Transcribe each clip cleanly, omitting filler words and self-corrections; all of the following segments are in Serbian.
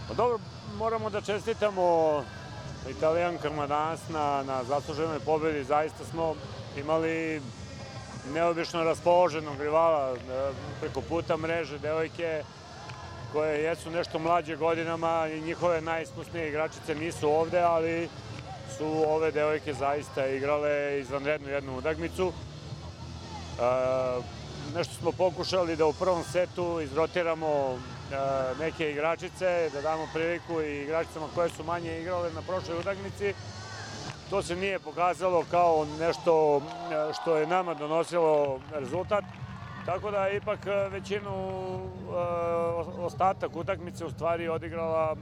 Pa dobro, moramo da čestitamo Italijankama danas na zasluženoj pobedi. Zaista smo imali neobično raspoloženog rivala preko puta mreže, devojke koje jesu nešto mlađe godinama i njihove najiskusnije igračice nisu ovde, ali su ove devojke zaista igrale izvanrednu jednu utakmicu. Nešto smo pokušali da u prvom setu izrotiramo neke igračice, da damo priliku i igračicama koje su manje igrale na prošloj utakmici. To se nije pokazalo kao nešto što je nama donosilo rezultat, tako da je ipak ostatak utakmice u stvari odigrala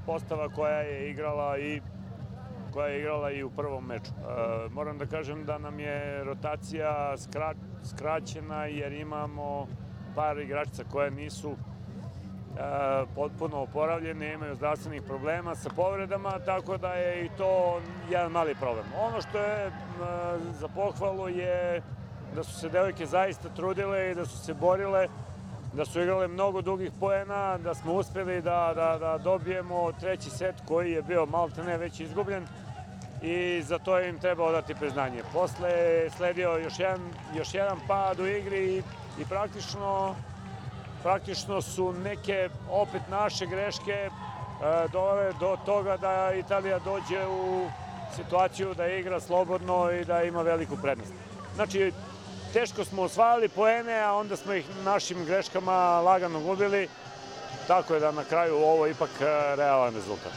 postava koja je igrala i u prvom meču. Moram da kažem da nam je rotacija skraćena jer imamo par igračica koje nisu potpuno oporavljene, imaju zdravstvenih problema sa povredama, tako da je i to jedan mali problem. Ono što je za pohvalu je da su se devojke zaista trudile i da su se borile, da su igrale mnogo dugih poena, da smo uspeli da dobijemo treći set koji je bio maltene već izgubljen i za to im treba odati priznanje. Posle je sledio još jedan pad u igri i praktično su neke opet naše greške dovele do toga da Italija dođe u situaciju da igra slobodno i da ima veliku prednost. Znači, teško smo osvajali poene, a onda smo ih našim greškama lagano gubili, tako je da na kraju ovo ipak realan rezultat.